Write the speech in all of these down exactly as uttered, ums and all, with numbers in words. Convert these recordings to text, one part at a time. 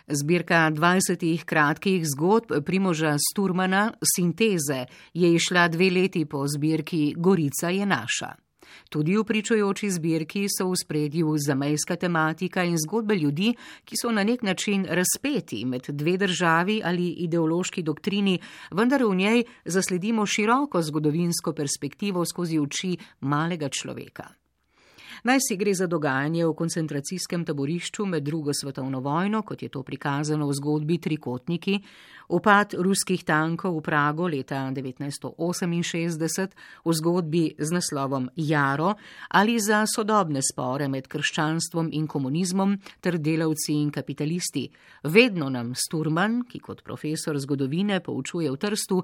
Zbirka dvajsetih kratkih zgodb Primoža Sturmana Sinteze je izšla dve leti po zbirki Gorica je naša. Tudi v pričujoči zbirki so v spredju zamejska tematika in zgodbe ljudi, ki so na nek način razpeti med dve državi ali ideološki doktrini, vendar v njej zasledimo široko zgodovinsko perspektivo skozi oči malega človeka. Naj si gre za dogajanje v koncentracijskem taborišču med drugo svetovno vojno, kot je to prikazano v zgodbi Trikotniki, upad ruskih tankov v Prago leta devetnajststo oseminšestdeset, v zgodbi z naslovom Jaro, ali za sodobne spore med krščanstvom in komunizmom ter delavci in kapitalisti. Vedno nam Sturman, ki kot profesor zgodovine poučuje v Trstu,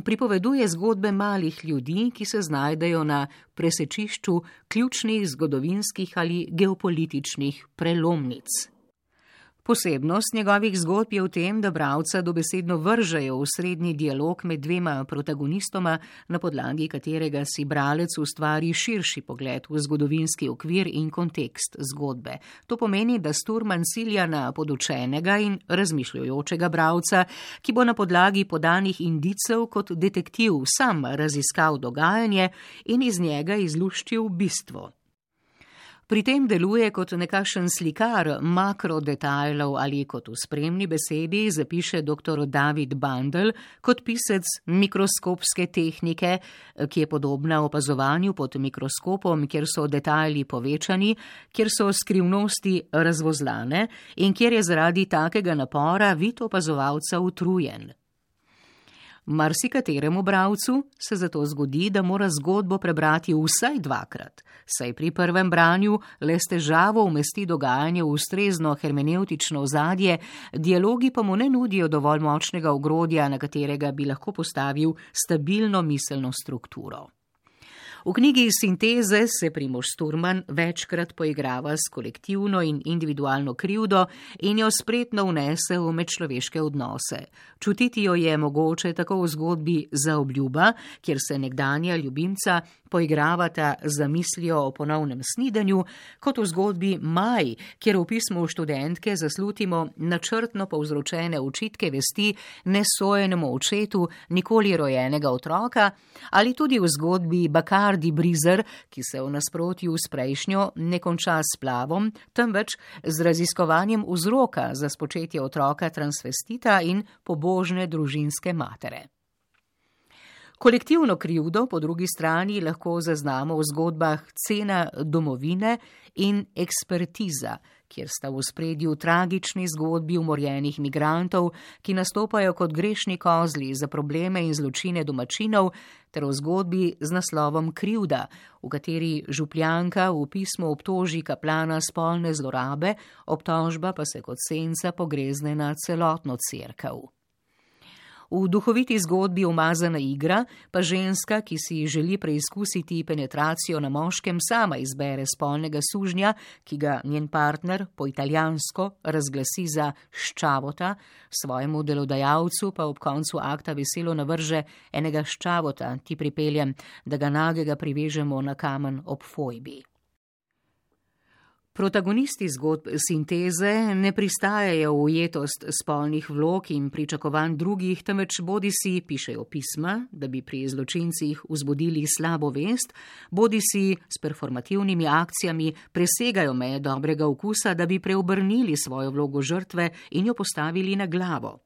pripoveduje zgodbe malih ljudi, ki se znajdejo na presečišču ključnih zgodovinskih ali geopolitičnih prelomnic. Posebnost njegovih zgodb je v tem, da bralca dobesedno vržejo v srednji dialog med dvema protagonistoma, na podlagi katerega si bralec ustvari širši pogled v zgodovinski okvir in kontekst zgodbe. To pomeni, da Sturman cilja na podučenega in razmišljujočega bralca, ki bo na podlagi podanih indicev kot detektiv sam raziskal dogajanje in iz njega izluščil bistvo. Pri tem deluje kot nekakšen slikar makrodetajlov ali kot v spremni besedi zapiše doktor David Bandl kot pisec mikroskopske tehnike, ki je podobna opazovanju pod mikroskopom, kjer so detajli povečani, kjer so skrivnosti razvozlane in kjer je zaradi takega napora vid opazovalca utrujen. Marsikateremu bralcu se zato zgodi, da mora zgodbo prebrati vsaj dvakrat, saj pri prvem branju le s težavo umesti dogajanje v ustrezno hermenevtično ozadje, dialogi pa mu ne nudijo dovolj močnega ogrodja, na katerega bi lahko postavil stabilno miselno strukturo. V knjigi Sinteze se Primož Sturman večkrat poigrava s kolektivno in individualno krivdo in jo spretno vnese v medčloveške odnose. Čutiti jo je mogoče tako v zgodbi Zaobljuba, kjer se nekdanja ljubimca poigravata za mislijo o ponovnem snidenju, kot v zgodbi Maj, kjer v pismu študentke zaslutimo načrtno povzročene očitke vesti nesojenemu očetu nikoli rojenega otroka, ali tudi v zgodbi Bacardi Brizer, ki se v nasprotju s prejšnjo ne konča s splavom, temveč z raziskovanjem vzroka za spočetje otroka transvestita in pobožne družinske matere. Kolektivno krivdo po drugi strani lahko zaznamo v zgodbah Cena domovine in Ekspertiza, kjer sta v ospredju tragični zgodbi umorjenih migrantov, ki nastopajo kot grešni kozli za probleme in zločine domačinov, ter v zgodbi z naslovom Krivda, v kateri župljanka v pismu obtoži kaplana spolne zlorabe, obtožba pa se kot senca pogrezne na celotno cerkev. V duhoviti zgodbi Umazana igra pa ženska, ki si želi preizkusiti penetracijo na moškem, sama izbere spolnega sužnja, ki ga njen partner po italijansko razglasi za ščavota, svojemu delodajalcu pa ob koncu akta veselo navrže enega ščavota, ti pripeljem, da ga nagega privežemo na kamen ob fojbi. Protagonisti zgodb Sinteze ne pristajajo v ujetost spolnih vlog in pričakovanj drugih, temveč bodisi pišejo pisma, da bi pri zločincih vzbudili slabo vest, bodisi s performativnimi akcijami presegajo meje dobrega okusa, da bi preobrnili svojo vlogo žrtve in jo postavili na glavo.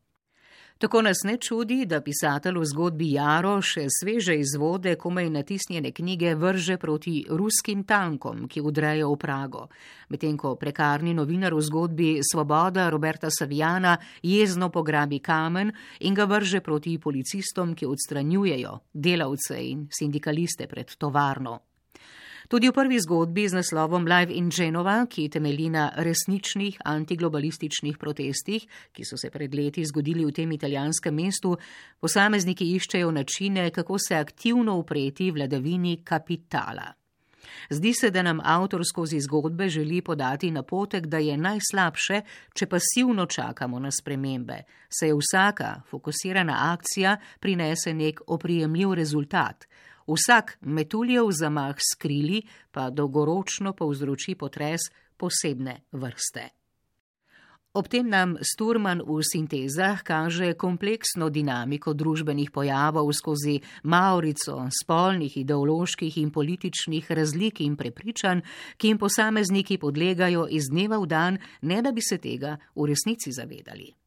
Tako nas ne čudi, da pisatelj v zgodbi Jaro še sveže izvode komaj natisnjene knjige vrže proti ruskim tankom, ki vdrejo v Prago, medtem ko prekarni novinar v zgodbi Svoboda Roberta Savijana jezno pograbi kamen in ga vrže proti policistom, ki odstranjujejo delavce in sindikaliste pred tovarno. Tudi v prvi zgodbi z naslovom Live in Genova, ki temelji na resničnih antiglobalističnih protestih, ki so se pred leti zgodili v tem italijanskem mestu, posamezniki iščejo načine, kako se aktivno upreti vladavini kapitala. Zdi se, da nam avtor skozi zgodbe želi podati napotek, da je najslabše, če pasivno čakamo na spremembe, saj vsaka fokusirana akcija prinese nek oprijemljiv rezultat. Vsak metuljev zamah s krili pa dolgoročno povzroči potres posebne vrste. Ob tem nam Sturman v sintezah kaže kompleksno dinamiko družbenih pojavov skozi maurico spolnih, ideoloških in političnih razlik in prepričanj, ki jim posamezniki podlegajo iz dneva v dan, ne da bi se tega v resnici zavedali.